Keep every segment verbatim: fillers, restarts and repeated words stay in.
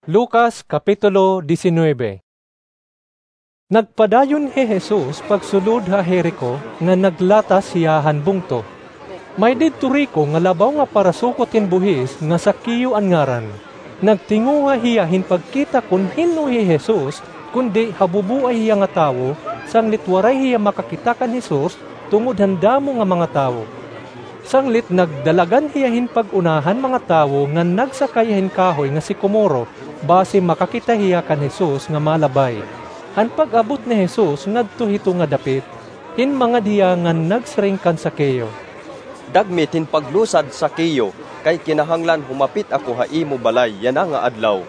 Lucas, Kapitulo diecinueve. Nagpadayon hi Jesus pagsulod ha Jerico, ngan naglatas hiya han bungto. May didto riko nga labaw nga parasukot hin buhis nga Zaqueo an ngaran. Nagtinguha hiya hin pagkita kon hin-o hi Jesus, kundi habubuay hiya nga tawo, sanglit waray hiya makakita kan Jesus tungod han damo nga mga tawo. Sanglit nagdalagan hiya hin pag-una han mga tawo ngan nagsakay hin kahoy nga sikomoro, basi makakita hiya kan Jesus nga malabay. Han pag-abot ni Jesus ngadto hito nga dapit, hinmangad hiya ngan nagsiring kan Zaqueo, "Dagmit hin paglusad, Zaqueo, kay kinahanglan humapit ako ha imo balay yana nga adlaw."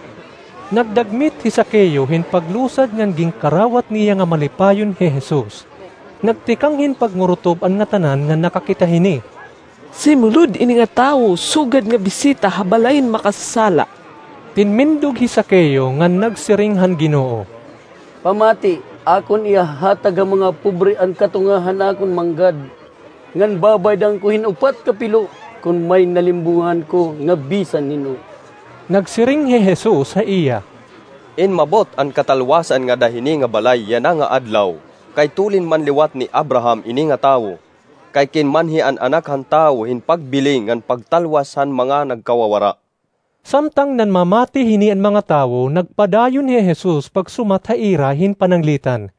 Nagdagmit hi Zaqueo hin paglusad ngan ginkarawat niya nga malipayon hi Jesus. Nagtikang hin pagngurutop an ngatanan nga nakakita hini. "Simulod ini nga tawo sugad nga bisita ha balay hin makasasala." Tinmindog hi Zaqueo ngan nagsiring han Ginoo, "Pamati, akon ihahatag ha mga pobre an katunga han akon manggad, ngan babaydan ko hin upat ka pilo kon may nalimbongan ko nga bisan hin-o." Nagsiring hi Jesus ha iya, "Inmabot an katalwasan ngada hini nga balay yana nga adlaw, kay tulin man liwat ni Abraham ini nga tawo. Kay kinmanhi an Anak han Tawo hin pagbili ngan pagtalwas han mga nagkawawara." Samtang nanmamati hini an mga tawo, nagpadayon hi Jesus pagsumat ha ira hin pananglitan.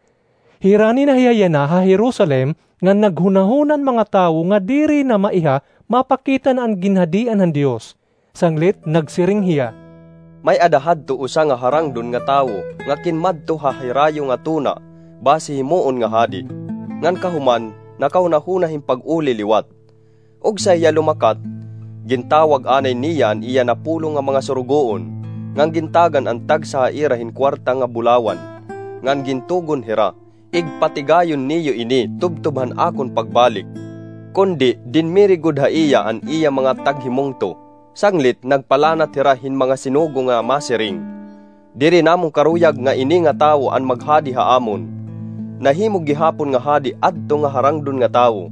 Hirani na hiya yana ha Jerusalem, ngan naghunahuna an mga tawo nga diri na maiha mapakita na an ginhadian han Dios. Sanglit nagsiring hiya, "May-ada hadto usa nga harangdon nga tawo nga kinmadto ha hirayo nga tuna basi himoon nga hadi, ngan kahuman nakahunahuna hin pag-uli liwat. Ugsa hiya lumakat, gintawag anay niya an iya napulong nga mga surugoon, ngan gintagan an tagsa ha ira hin kuwarta nga bulawan, ngan gintugon hira, 'Igpatigayon niyo ini tubtob han akon pagbalik.' Kundi dinmiri gud ha iya an iya mga taghimungto. Sanglit nagpalanat hira hin mga sinugo nga masiring, 'Diri namon karuyag nga ini nga tawo an maghadi ha amon. Nahimo gihapon nga hadi adto nga harangdon nga tawo,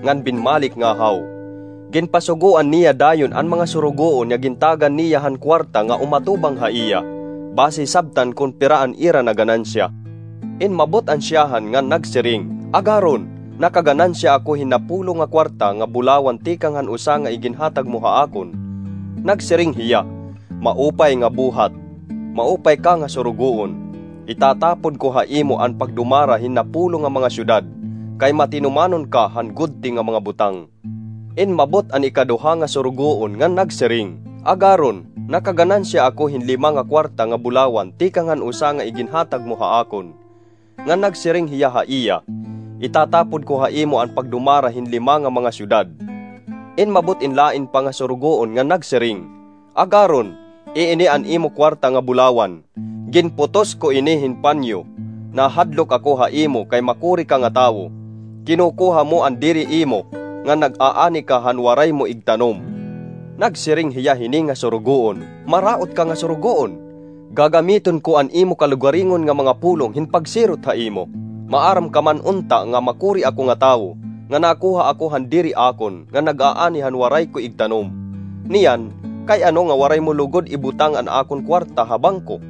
ngan binmalik ngahaw. Ginpasugoan niya dayon an mga surugoon nga gintagan niya han kuwarta nga umatubang ha iya, basi sabtan kon pira an ira naganansya.' Inmabot an syahan ngan nagsiring, 'Agaron, nakaganansya ako hin napulong nga kuwarta nga bulawan tikang han usa nga iginhatag mo ha akon.' Nagsiring hiya, 'Maupay nga buhat, maupay ka nga surugoon. Itatapod ko ha imo an pagdumara hin napulong nga mga syudad, kay matinumanon ka han gudti nga mga butang.' Inmabot an ikaduha nga surugoon ngan nagsiring, 'Agaron, nakaganansya ako hin lima nga kuwarta nga bulawan tikang han usa nga iginhatag mo ha akon.' Ngan nagsiring hiya ha iya, 'Itatapod ko ha imo an pagdumara hin lima nga mga syudad.' Inmabot in lain pa nga surugoon ngan nagsiring, 'Agaron, iini an imo kuwarta nga bulawan. Ginputos ko ini hin panyo. Nahadlok ako ha imo kay makuri ka nga tawo. Kinukuha mo an diri imo, ngan nag-aani ka han waray mo igtanom.' Nagsiring hiya hini nga surugoon, 'Maraot ka nga surugoon. Gagamiton ko an imo kalugaringon nga mga pulong hin pagsirot ha imo. Maaram ka man unta nga makuri ako nga tawo, nga nakuha ako han diri akon, nga nag-aani han waray ko igtanom. Niyan, kay ano nga waray mo lugod ibutang an akon kuwarta ha bangko?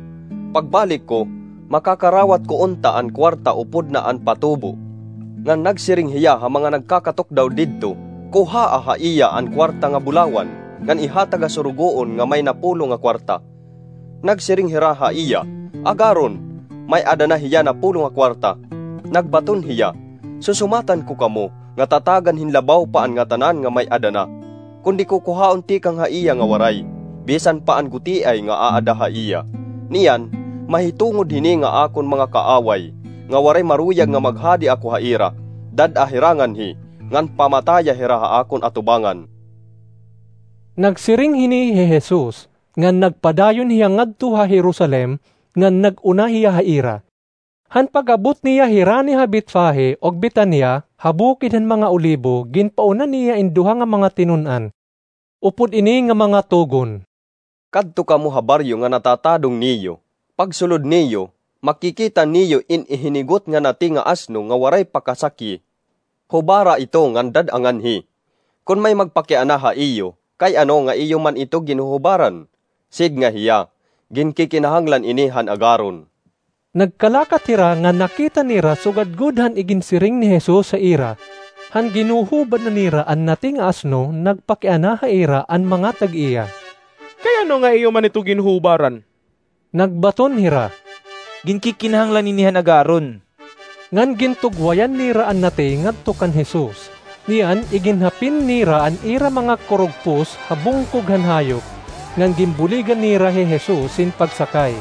Pagbalik ko, makakarawat ko unta an kuwarta upod na an patubo.' Ngan nagsiring hiya ha mga nagkakatukdaw didto, 'Kuhaa ha iya an kuwarta nga bulawan, ngan ihatag ha surugoon nga may napulong nga kuwarta.' Nagsiring hira ha iya, 'Agaron, may-ada na hiya napulong nga kuwarta.' Nagbaton hiya, 'Susumatan ko kamo nga tatagan hin labaw pa an ngatanan nga may-ada na, kundi kukuhaon tikang ha iya nga waray, bisan pa an gutiay nga aada ha iya. Niyan, mahitungod hini nga akon mga kaaway, nga waray maruyag nga maghadi ako ha ira, dad-a hira nganhi, ngan pamataya hira ha akon atubangan.'" Nagsiring hini hi Jesus, ngan nagpadayon hiya ngadto ha Jerusalem, ngan nag-una hiya ha ira. Han pag-abot niya hirani ha Betfage ug Betania, ha bukid han mga Olibo, ginpauna niya in duha nga mga tinun-an. Upod ini nga mga tugon, "Kadto kamo ha baryo nga natatadong niyo. Pagsulod niyo, makikita niyo in ihinigot nga nati nga asno nga waray pa kasakyi. Hubara ito ngan dad-a nganhi. Kon may magpakiana ha iyo, kay ano nga iyo man ito ginhuhubaran?" Sidnga hiya, Ginkikinahanglan ini han agaron. Nagkalakat hira nga nakita nira sugad gud han iginsiring ni Jesus ha ira, han ginhuhubad na nira an nati nga asno, nagpakiana ha ira an mga tag-iya. Kay ano nga iyo man ito ginhubaran? Nagbaton hira, Ginkikinahanglan ini han agaron. Ngan gintugwayan nira an nati ngadto kan Jesus. Niyan, iginhapin nira an ira mga kurugpos ha bungkog han hayop, ngan ginbuligan nira hi Jesus hin pagsakay.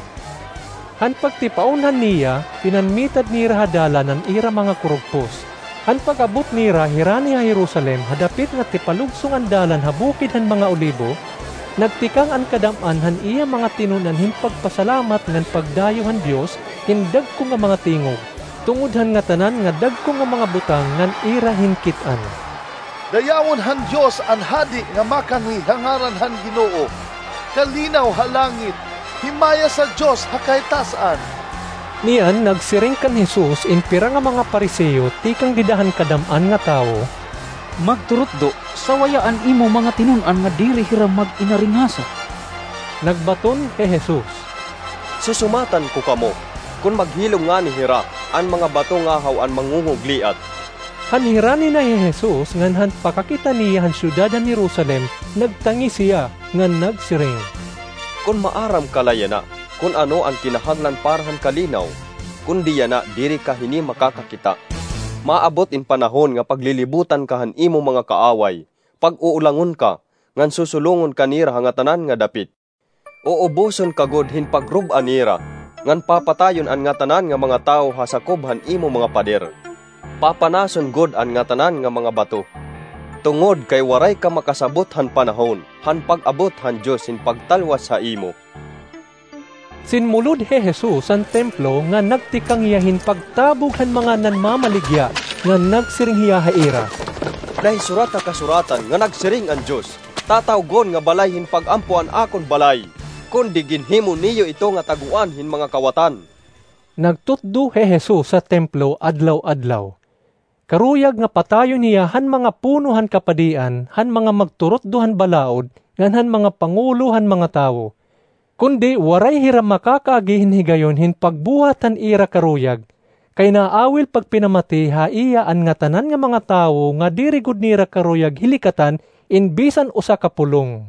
Han pagtipaunhan niya, pinanmitad nira ha dalan an ira mga kurugpos. Han pag-abot nira hirani ha Jerusalem, ha dapit nga tipalugsong an dalan ha Bukid han mga Olibo, nagtikang an kadam-an han iya mga tinun-an hin pagpasalamat ngan pagdayo han Dios hin dagko nga mga tingog, tungod han ngatanan nga dagko nga mga butang ngan ira hinkit-an. Dayawon han Dios an hadi nga makangni ha ngaran han Ginoo! Kalinaw ha langit, himaya sa Dios ha kahitaas-an! Niyan, nagsiring kan Jesus in pira nga mga Fariseo tikang dida han kadam-an nga tawo, Magturutdo, sawaya an imo mga tinun-an nga diri hira mag-inaringasa. Nagbaton hi Jesus, Susumatan ko kamo, kon maghilom ngani hira, an mga bato ngahaw an mangungugliat. Han hirani na hi Jesus ngan han pakakita niya han syudad han Jerusalem, nagtangis hiya, ngan nagsiring, Kon maaram ka la yana kon ano an kinahanglan para han kalinaw, kundi yana diri ka hini makakakita. Maabot in panahon nga paglilibutan ka han imo mga kaaway, pag-uulangon ka, ngan susulongon ka nira ha ngatanan nga dapit. Uuboson ka gud hin pagrub-a nira, ngan papatayon an ngatanan nga mga tawo ha sakob han imo mga pader. Papanason gud an ngatanan nga mga bato, tungod kay waray ka makasabot han panahon han pag-abot han Dios hin pagtalwas ha imo. Sinmulod hi Jesus han templo ngan nagtikang hiya hin pagtabog han mga nanmamaligya, ngan nagsiring hiya ha ira, Nahisurat ha Kasuratan nga nagsiring an Dios, 'Tatawgon nga balay hin pag-ampo an akon balay,' kundi ginhimo niyo ito nga taguan hin mga kawatan. Nagtutdo hi Jesus ha templo adlaw-adlaw. Karuyag nga patayon hiya han mga puno han kapadian, han mga magturutdo han balaod, ngan han mga pangulo han mga tawo. Kundi waray hira makakaagi hin higayon hin pagbuhat han ira karuyag, kay naawil pagpinamati ha iya an ngatanan nga mga tawo nga diri gud nira karuyag hilikatan in bisan usa ka pulong.